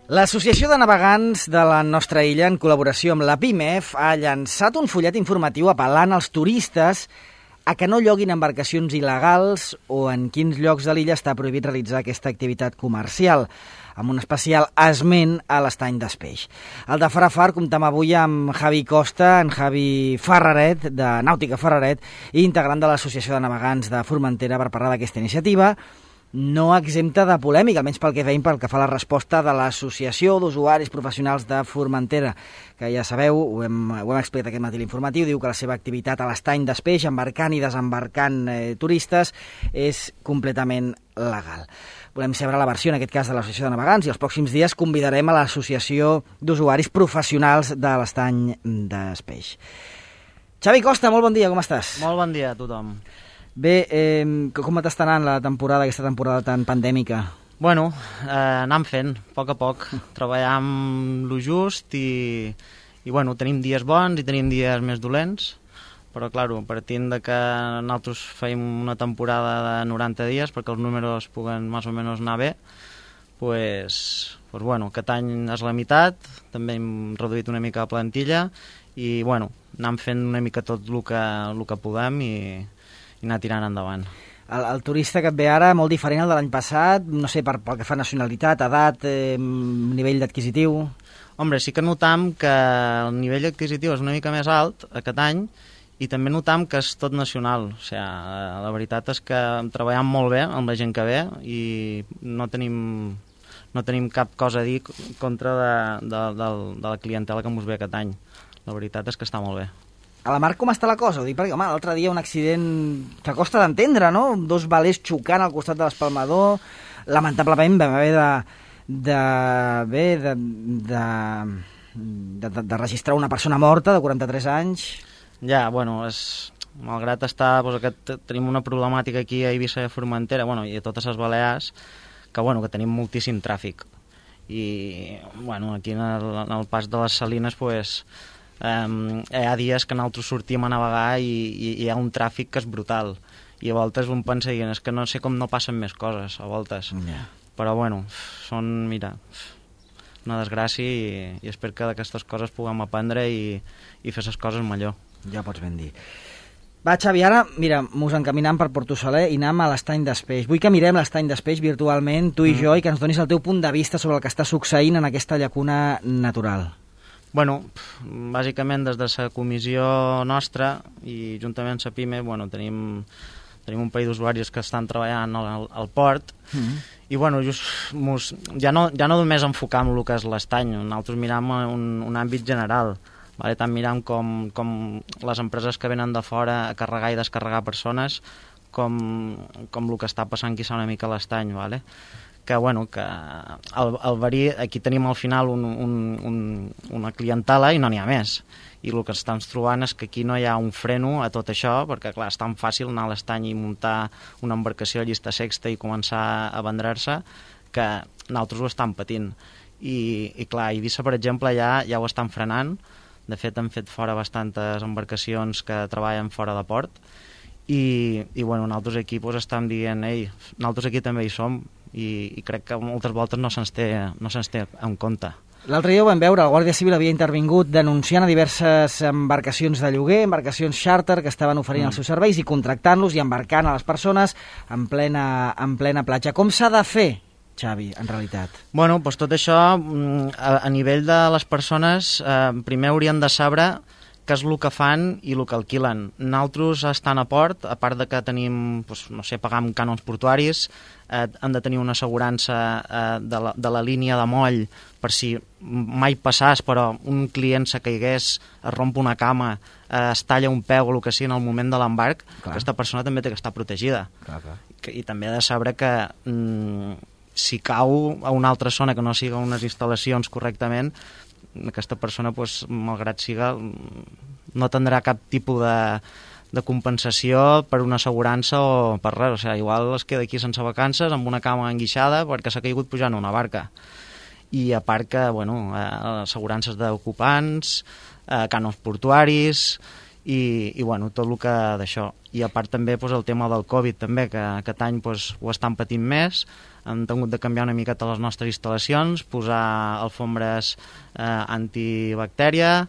L'Associació de Navegants de la nostra illa, en col·laboració amb la PIMEF, ha llançat un fullet informatiu apel·lant als turistes a que no lloguin embarcacions il·legals o en quins llocs de l'illa està prohibit realitzar aquesta activitat comercial, amb un especial esment a l'estany d'Espeix. Al de Farafar comptem avui amb Javi Costa, en Javi Ferraret, de Nàutica Ferraret, i integrant de l'Associació de Navegants de Formentera, per parlar d'aquesta iniciativa, no exempta de polèmica, almenys pel que veiem pel que fa a la resposta de l'Associació d'Usuaris Professionals de Formentera, que ja sabeu, ho hem explicat aquest matí l'informatiu, diu que la seva activitat a l'estany d'Espeix, embarcant i desembarcant turistes, és completament legal. Volem saber la versió, en aquest cas, de l'Associació de Navegants, i els pròxims dies convidarem a l'Associació d'Usuaris Professionals de l'estany d'Espeix. Xavi Costa, molt bon dia, com estàs? Molt bon dia a tothom. Bé, com està anant aquesta temporada tan pandèmica? Bueno, anem fent, a poc, treballam lo just i bueno, tenim dies bons i tenim dies més dolents, però, claro, partint de que nosaltres feim una temporada de 90 dies perquè els números puguen més o menys anar bé, pues bueno, aquest any és la meitat, també hem reduït una mica la plantilla i, bueno, anem fent una mica tot el que podem i anar tirant endavant. El turista que et ve ara, molt diferent al de l'any passat, no sé, pel que fa nacionalitat, edat, nivell adquisitiu... Hombre, sí que notam que el nivell adquisitiu és una mica més alt aquest any i també notam que és tot nacional. O sigui, la veritat és que treballem molt bé amb la gent que ve i no tenim cap cosa a dir contra de la clientela que ens ve aquest any. La veritat és que està molt bé. A la mar com està la cosa? Ho dic perquè, home, l'altre dia un accident que costa d'entendre, no? 2 velers xocant al costat de l'espalmador, lamentablement vam haver de registrar una persona morta de 43 anys. Ja, bueno, malgrat estar, tenim una problemàtica aquí a Eivissa i a Formentera, bueno, i a totes les Balears, que tenim moltíssim tràfic. I, bueno, aquí en el pas de les Salines, pues, hi ha dies que nosaltres sortim a navegar i hi ha un tràfic que és brutal i a voltes un pensa dient és que no sé com no passen més coses a voltes, però bueno, són, mira, una desgràcia i espero que d'aquestes coses puguem aprendre i fer les coses millor. Ja pots ben dir. Va, Xavi, ara, mira, mos encaminem per Porto Soler i anem a l'estany d'Espeix. Vull que mirem l'estany d'Espeix virtualment, tu i jo, i que ens donis el teu punt de vista sobre el que està succeint en aquesta llacuna natural. Bueno, bàsicament des de la comissió nostra i juntament amb la PIME, bueno, tenim un parell d'usuaris que estan treballant al port i bueno, ja no només enfocam el que és l'estany, nosaltres miram un àmbit general, vale? Tant miram com les empreses que venen de fora a carregar i descarregar persones com el que està passant aquí una mica a l'estany, vale? Que al verí aquí tenim al final una clientela i no n'hi ha més. I el que estem trobant és que aquí no hi ha un freno a tot això, perquè clar, és tan fàcil anar a l'estany i muntar una embarcació a llista sexta i començar a vendre-se que nosaltres ho estem patint. I clar, a Eivissa, per exemple, ja ho estan frenant. De fet, han fet fora bastantes embarcacions que treballen fora de port i bueno, nosaltres aquí estem dient nosaltres aquí també hi som i crec que moltes voltes no se'ns té en compte. L'altre dia ho vam veure, el Guàrdia Civil havia intervingut denunciant a diverses embarcacions de lloguer, embarcacions xàrter que estaven oferint els seus serveis i contractant-los i embarcant a les persones en plena platja. Com s'ha de fer, Xavi, en realitat? Bueno, doncs tot això, a nivell de les persones, primer haurien de saber què és el que fan i el que alquilen. Nosaltres estan a port, a part de que tenim, no sé, pagam cànons portuaris, hem de tenir una assegurança de la línia de moll per si mai passàs, però un client se caigués, es romp una cama, es talla un peu o el que sigui en el moment de l'embarc, aquesta persona també té que estar protegida. Clar. I també ha de saber que si cau a una altra zona que no siga unes instal·lacions correctament, aquesta persona, malgrat siga, no tindrà cap tipus de compensació per una assegurança o per res. O sigui, igual es queda aquí sense vacances amb una cama enguixada perquè s'ha caigut pujant a una barca. I a part que, assegurances d'ocupants, cànons portuaris i tot el que d'això. I a part també el tema del Covid també, que aquest any ho estan patint més, hem tingut de canviar una miqueta les nostres instal·lacions, posar alfombres antibactèria,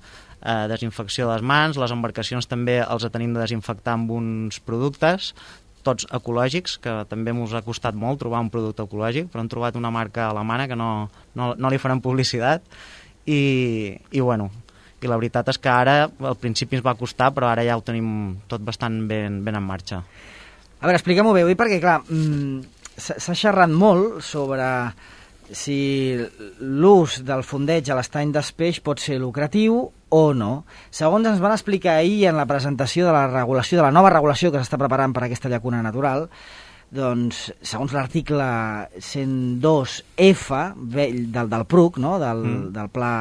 desinfecció de les mans, les embarcacions també els tenim de desinfectar amb uns productes, tots ecològics, que també ens ha costat molt trobar un producte ecològic, però hem trobat una marca alemana que no li farem publicitat, i bueno, i la veritat és que ara al principi ens va costar, però ara ja ho tenim tot bastant ben en marxa. A veure, expliquem-ho bé, perquè clar, s'ha xerrat molt sobre si l'ús del fondeig a l'estany d'Espeix pot ser lucratiu o no. Segons ens van explicar ahir en la presentació de la regulació, de la nova regulació que s'està preparant per a aquesta llacuna natural, doncs, segons l'article 102F del PRUC, no? del Pla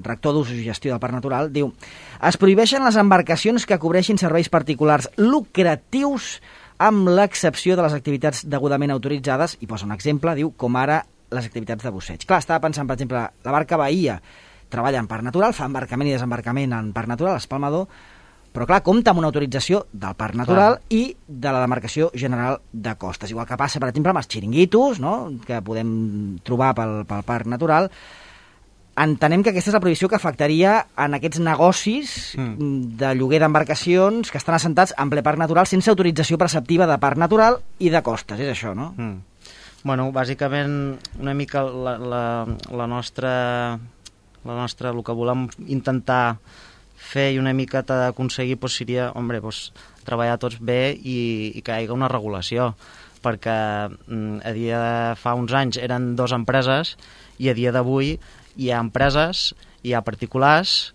Rector d'Ús i Gestió del Parc Natural, diu: es prohibeixen les embarcacions que cobreixin serveis particulars lucratius amb l'excepció de les activitats degudament autoritzades, i posa un exemple, diu, com ara les activitats de busseig. Clar, estava pensant, per exemple, la barca Bahia treballa en parc natural, fa embarcament i desembarcament en parc natural, espalmador, però clar, compta amb una autorització del Parc Natural i de la Demarcació General de Costes. Igual que passa, per exemple, amb els xiringuitos, no?, que podem trobar pel Parc Natural. Entenem que aquesta és la prohibició que afectaria en aquests negocis de lloguer d'embarcacions que estan assentats en ple Parc Natural sense autorització preceptiva de Parc Natural i de Costes, és això, no? Bueno, bàsicament, una mica la nostra, el que volem intentar fer i una miqueta d'aconseguir seria, treballar tots bé i que hi hagi una regulació, perquè fa uns anys eren 2 empreses i a dia d'avui hi ha empreses, hi ha particulars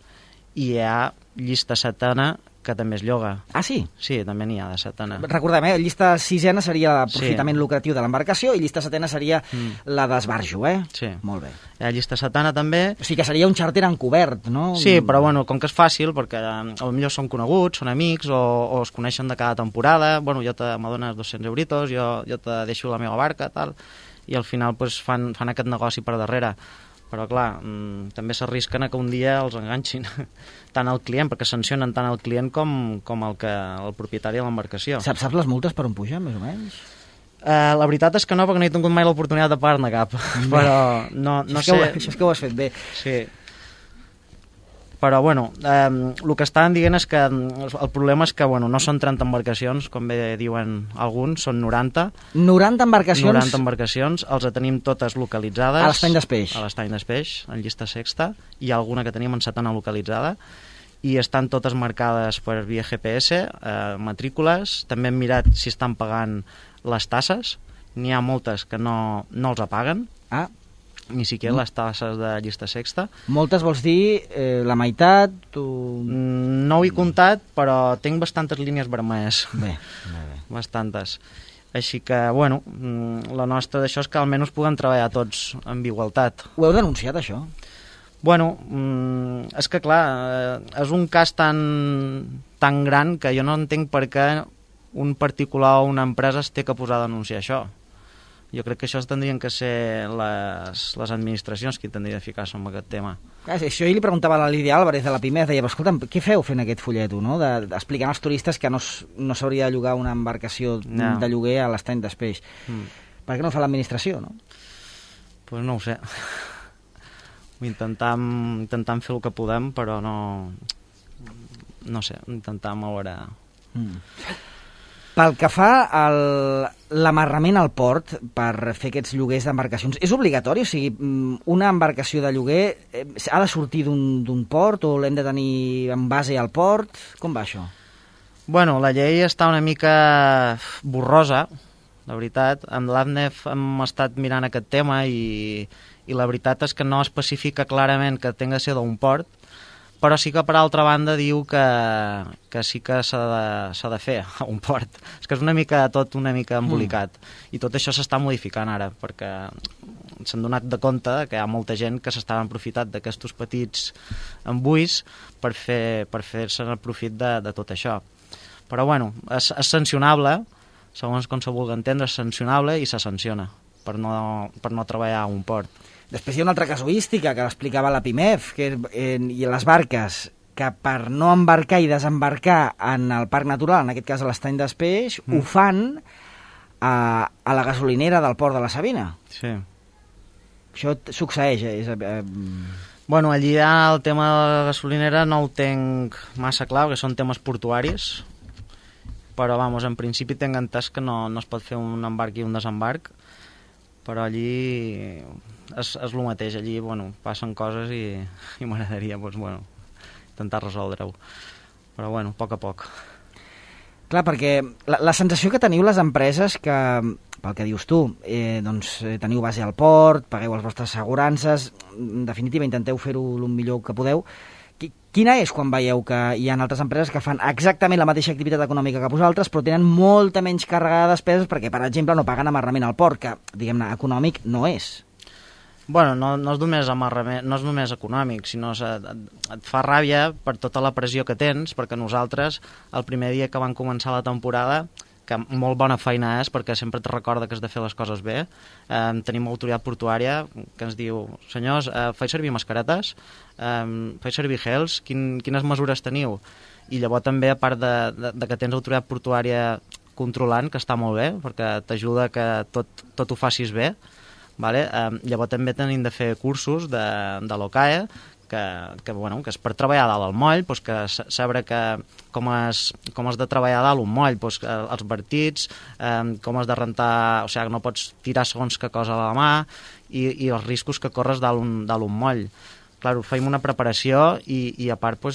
i hi ha llista setena que també es lloga. Ah, sí? Sí, també n'hi ha de setena. Recordem, llista sisena seria l'aprofitament lucratiu de l'embarcació i llista setena seria la d'esbarjo, Sí. Molt bé. Hi ha llista setena també. O sigui que seria un xàrter encobert, no? Sí, però bueno, com que és fàcil, perquè potser són coneguts, són amics, o es coneixen de cada temporada, bueno, jo m'adones 200 euritos, jo te deixo la meva barca, tal, i al final fan aquest negoci per darrere. Però clar, també s'arrisquen a que un dia els enganxin tant el client, perquè sancionen tant el client com el propietari de l'embarcació. Saps les multes per on pugen, més o menys? La veritat és que no, perquè no he tingut mai l'oportunitat de pagar-ne cap, però no sé... Això és que ho has fet bé. Sí. Però, bueno, el que estaven dient és que el problema és que, no són 30 embarcacions, com bé diuen alguns, són 90. 90 embarcacions? 90 embarcacions, els tenim totes localitzades. A l'estany d'Espeix? A l'estany d'Espeix, en llista sexta. Hi ha alguna que tenim en setena localitzada. I estan totes marcades per via GPS, matrícules. També hem mirat si estan pagant les tasses. N'hi ha moltes que no els apaguen. Ah, ni siquiera les tasses de llista sexta. Moltes vols dir la meitat? No ho he comptat, però tinc bastantes línies vermelles. Bé. Bastantes. Així que, la nostra d'això és que almenys puguem treballar tots amb igualtat. Ho heu denunciat, això? És que, clar, és un cas tan gran que jo no entenc per què un particular o una empresa es té que posar a denunciar això. Jo crec que això tindrien que ser les administracions qui tindrien de ficar-se en aquest tema. Això li preguntava a la Lídia Álvarez de la PIMEF, deia, escolta'm, què feu fent aquest folleto, no? Explicant als turistes que no s'hauria de llogar una embarcació de lloguer a l'estany d'Espeix. Per què no ho fa l'administració, no? Doncs no ho sé. Intentam fer el que podem, però no sé, intentam a veure... Pel que fa a l'amarrament al port per fer aquests lloguers d'embarcacions, és obligatori? O sigui, una embarcació de lloguer ha de sortir d'un port o l'hem de tenir en base al port? Com va això? La llei està una mica borrosa, la veritat. Amb l'ADNEF hem estat mirant aquest tema i la veritat és que no especifica clarament que tinga de ser d'un port, però sí que per altra banda diu que sí que s'ha de fer a un port. És que és una mica embolicat. I tot això s'està modificant ara, perquè s'han donat de compte que hi ha molta gent que s'està aprofitant d'aquests petits embuis per fer-se el profit de tot això. Però és sancionable, segons com se vulgui entendre, és sancionable i se sanciona per no treballar a un port. Després hi ha una altra casuística que l'explicava la PIMEF, i les barques que per no embarcar i desembarcar en el parc natural, en aquest cas a l'Estany d'Espeix, ho fan a la gasolinera del Port de la Sabina. Sí. Això succeeix, Bueno, allí ja el tema de la gasolinera no ho tenc massa clar, perquè són temes portuaris, però, vamos, en principi tinc entès que no es pot fer un embarc i un desembarc, però allí és el mateix, allí, bueno, passen coses i m'agradaria, doncs, bueno, intentar resoldre-ho. Però, bueno, a poc. Clar, perquè la sensació que teniu les empreses que, pel que dius tu, teniu base al port, pagueu les vostres assegurances, en definitiva intenteu fer-ho el millor que podeu. Quina és quan veieu que hi ha altres empreses que fan exactament la mateixa activitat econòmica que vosaltres, però tenen molta menys càrrega de despeses perquè, per exemple, no paguen amarrament al port, que, diguem-ne, econòmic no és? Bueno, no és només amarrament, no és només econòmic, sinó et fa ràbia per tota la pressió que tens, perquè nosaltres, el primer dia que van començar la temporada, que molt bona feina és, perquè sempre te recorda que has de fer les coses bé, tenim l'autoritat portuària que ens diu, senyors, faig servir mascaretes, faig servir gels, quines mesures teniu? I llavors també, a part de que tens l'autoritat portuària controlant, que està molt bé, perquè t'ajuda que tot ho facis bé, vale? Llavors també tenim de fer cursos de l'OCAE, que és per treballar dalt al moll, doncs que saber com has de treballar dalt un moll, doncs els vertits, com has de rentar, o sigui, no pots tirar segons que cosa a la mà, i els riscos que corres dalt un moll. Clar, fem una preparació i a part,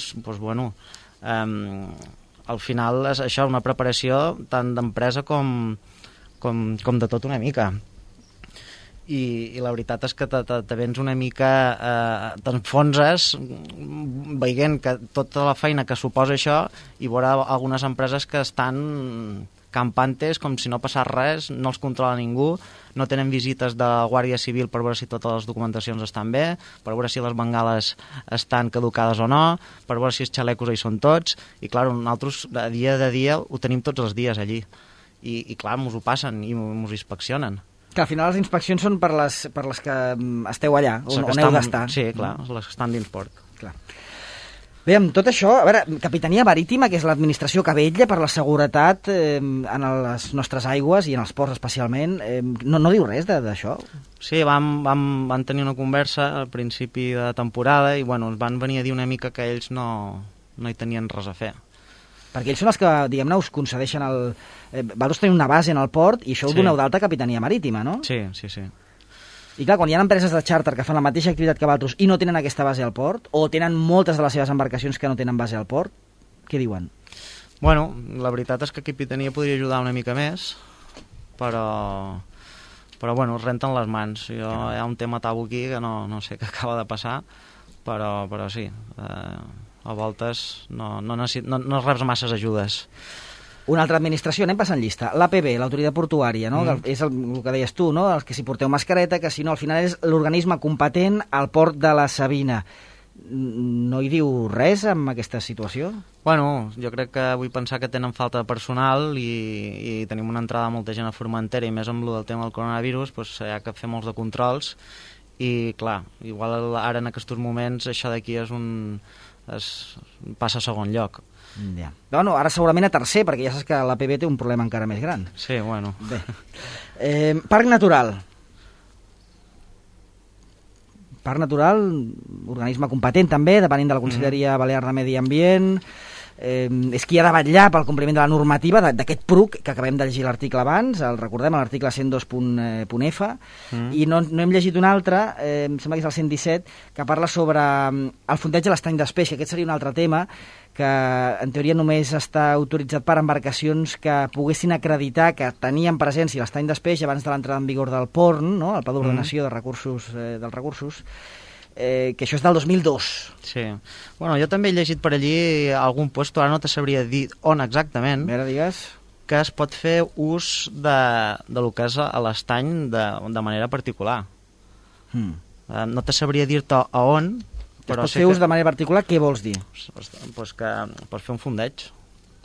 al final és això, una preparació tant d'empresa com de tot una mica. I la veritat és que te vens una mica, t'enfonses veient que tota la feina que suposa això, i veure algunes empreses que estan campantes com si no passés res, no els controla ningú, no tenen visites de Guàrdia Civil per veure si totes les documentacions estan bé, per veure si les bengales estan caducades o no, per veure si els xalecos hi són tots, i clar, nosaltres de dia ho tenim tots els dies allí, i clar, mos ho passen i mos inspeccionen. Que al final les inspeccions són per les que esteu allà, on heu d'estar. Sí, clar, les que estan dins port. Clar. Bé, amb tot això, a veure, Capitania Marítima, que és l'administració que vetlla per la seguretat en les nostres aigües i en els ports especialment, no diu res d'això? Sí, van tenir una conversa al principi de temporada i ens van venir a dir una mica que ells no hi tenien res a fer. Perquè ells són els que, diguem-ne, us concedeixen vosaltres teniu una base en el port i això ho doneu d'alta a Capitania Marítima, no? Sí. I clar, quan hi ha empreses de xàrter que fan la mateixa activitat que vosaltres i no tenen aquesta base al port, o tenen moltes de les seves embarcacions que no tenen base al port, què diuen? Bueno, la veritat és que Capitania podria ajudar una mica més, però es renten les mans. Hi ha un tema tabú aquí que no sé què acaba de passar, però sí, a voltes no reps masses ajudes. Una altra administració, anem passant llista. L'APB, l'autoritat portuària, no? És el que deies tu, no? El que si porteu mascareta, que si no, al final és l'organisme competent al port de la Sabina. No hi diu res amb aquesta situació? Bueno, jo crec que vull pensar que tenen falta de personal i tenim una entrada de molta gent a Formentera, i més amb el tema del coronavirus, doncs hi ha que fer molts de controls i, clar, igual ara en aquests moments això d'aquí passa a segon lloc. Ja. Bueno, ara segurament a tercer, perquè ja saps que l'APB té un problema encara més gran. Sí, bueno. Bé. Parc Natural. Parc Natural, organisme competent també, depenent de la Conselleria Balear de Medi Ambient, és qui ha de vetllar pel compliment de la normativa d'aquest PRUC, que acabem de llegir l'article abans, el recordem, l'article 102.f, i no hem llegit un altre, em sembla que és el 117, que parla sobre el fondeig de l'estany d'Espeix, que aquest seria un altre tema, que en teoria només està autoritzat per embarcacions que poguessin acreditar que tenien presència a l'estany d'Espeix abans de l'entrada en vigor del PORN, no? El Pla d'Ordenació dels Recursos, que això és del 2002. Sí. Bueno, jo també he llegit per allí algun puesto, ara no te sabria dir on exactament, que es pot fer ús de lo que és a l'estany de manera particular. No te sabria dir-te a on, però es pot fer ús de manera particular, què vols dir? Pues que pots fer un fondeig.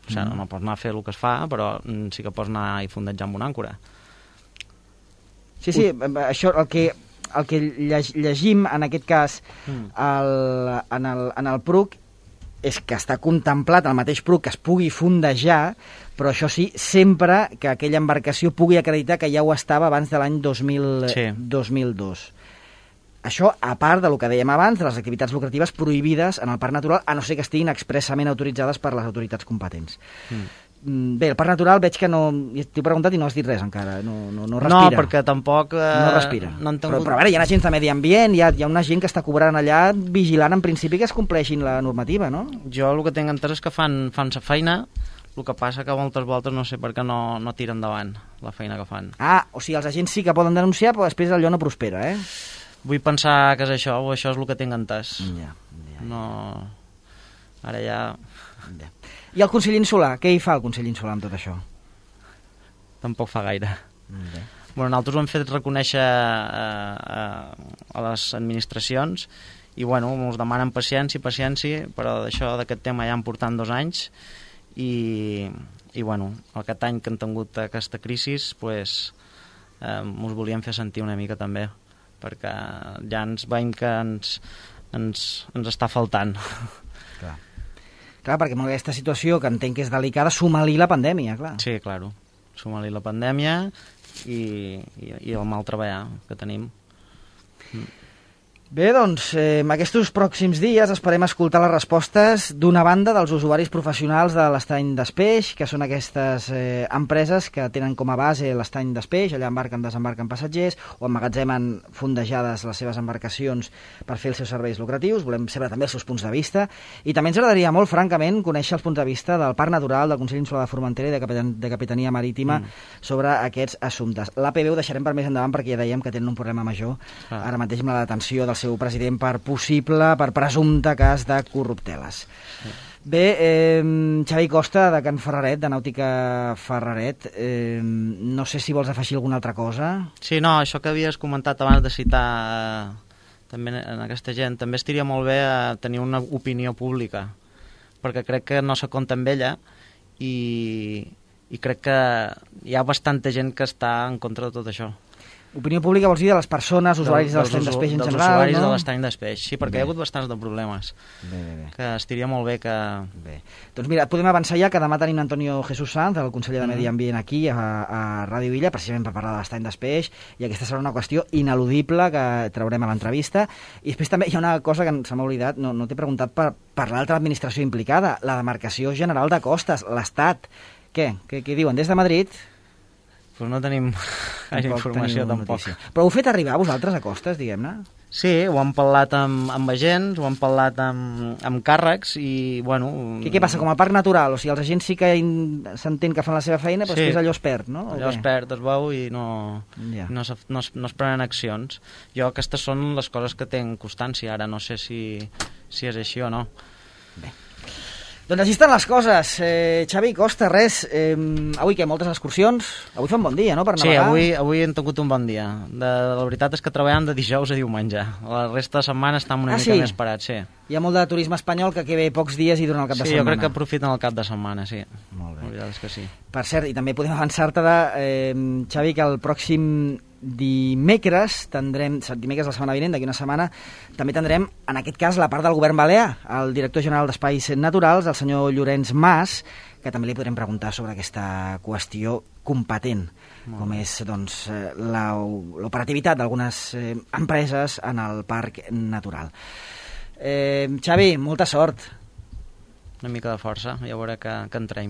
O sigui, no pots anar a fer el que es fa, però sí que pots anar i fondejar amb una àncora. Sí, això, el que llegim en aquest cas en el PRUC és que està contemplat al mateix PRUC que es pugui fondejar, però això sí, sempre que aquella embarcació pugui acreditar que ja ho estava abans de l'any 2002. Això, a part del que dèiem abans, de les activitats lucratives prohibides en el Parc Natural, a no ser que estiguin expressament autoritzades per les autoritats competents. Bé, el Parc Natural veig que no... T'he preguntat i no has dit res encara, no respira. No, perquè tampoc... No respira. No han tingut... Però a veure, hi ha agents de medi ambient, hi ha una gent que està cobrant allà vigilant en principi que es compleixin la normativa, no? Jo el que tinc entès és que fan sa feina, el que passa que moltes voltes no sé per què no tira endavant la feina que fan. Ah, o sigui, els agents sí que poden denunciar, però després allò no prospera, eh? Vull pensar que és això, o això és el que tinc entès. Ja. No... Ara ja... I el Consell Insular? Què hi fa el Consell Insular amb tot això? Tampoc fa gaire. Bueno, nosaltres ho hem fet reconèixer a les administracions i bueno, ens demanen paciència, però d'això d'aquest tema ja en portant 2 anys i bueno, aquest any que han tingut aquesta crisi pues, ens volíem fer sentir una mica també, perquè ja ens veiem que ens està faltant. Clar, perquè amb aquesta situació que entenc que és delicada, suma-li la pandèmia, clar. Sí, claro. Suma-li la pandèmia i el mal treballar que tenim. Bé, doncs, en aquests pròxims dies esperem escoltar les respostes d'una banda dels usuaris professionals de l'estany d'Espeix, que són aquestes empreses que tenen com a base l'estany d'Espeix, allà embarquen, desembarquen passatgers o emmagatzemen fondejades les seves embarcacions per fer els seus serveis lucratius. Volem saber també els seus punts de vista i també ens agradaria molt, francament, conèixer els punts de vista del Parc Natural, del Consell Insular de Formentera i de Capitania Marítima sobre aquests assumptes. L'APB ho deixarem per més endavant perquè ja dèiem que tenen un problema major ara mateix amb la detenció del seu president per presumpte cas de corrupteles. Bé, Xavi Costa, de Can Ferraret, de Nàutica Ferraret, no sé si vols afegir alguna altra cosa. Sí, no, això que havies comentat abans de citar també en aquesta gent, també estaria molt bé tenir una opinió pública, perquè crec que no se compta amb ella i crec que hi ha bastanta gent que està en contra de tot això. Opinió pública vols dir de les persones, usuaris de l'estany d'Espeix en general, no? Dels usuaris de l'estany d'Espeix, sí, perquè hi ha hagut bastants de problemes. Bé. Que estaria molt bé que... Bé. Doncs mira, podem avançar ja que demà tenim Antonio Jesús Sanz, el conseller de Medi Ambient aquí a Ràdio Illa, precisament per parlar de l'estany d'Espeix, i aquesta serà una qüestió ineludible que traurem a l'entrevista. I després també hi ha una cosa que se m'ha oblidat, no t'he preguntat per l'altra administració implicada, la Demarcació General de Costes, l'Estat. Què diuen des de Madrid? Pues no tenim gaire informació tampoc. Però heu fet arribar a vosaltres a Costes, diguem-ne? Sí, ho hem parlat amb agents, ho hem parlat amb càrrecs i, bueno... Què passa, com a parc natural? O sigui, els agents sí que s'entén que fan la seva feina, però després allò es perd, no? Allò es perd, es veu i no es prenen accions. Jo aquestes són les coses que tinc constància, ara no sé si és així o no. Bé. Doncs així estan les coses. Xavi Costa, res, avui què, moltes excursions? Avui fa un bon dia, no?, per navegar. Sí, avui hem tingut un bon dia. La veritat és que treballem de dijous a diumenge. La resta de setmana estem una mica més parats, sí. Hi ha molt de turisme espanyol que ve pocs dies i durant el cap de setmana. Sí, jo crec que aprofiten el cap de setmana, sí. Molt bé. La veritat és que sí. Per cert, i també podem avançar-te, Xavi, que el pròxim dimecres de la setmana vinent, d'aquí una setmana, també tindrem, en aquest cas, la part del govern balear, el director general d'Espais Naturals, el senyor Llorenç Mas, que també li podrem preguntar sobre aquesta qüestió competent, com és doncs, l'operativitat d'algunes empreses en el parc natural. Xavi, molta sort. Una mica de força, ja veurà que entrem.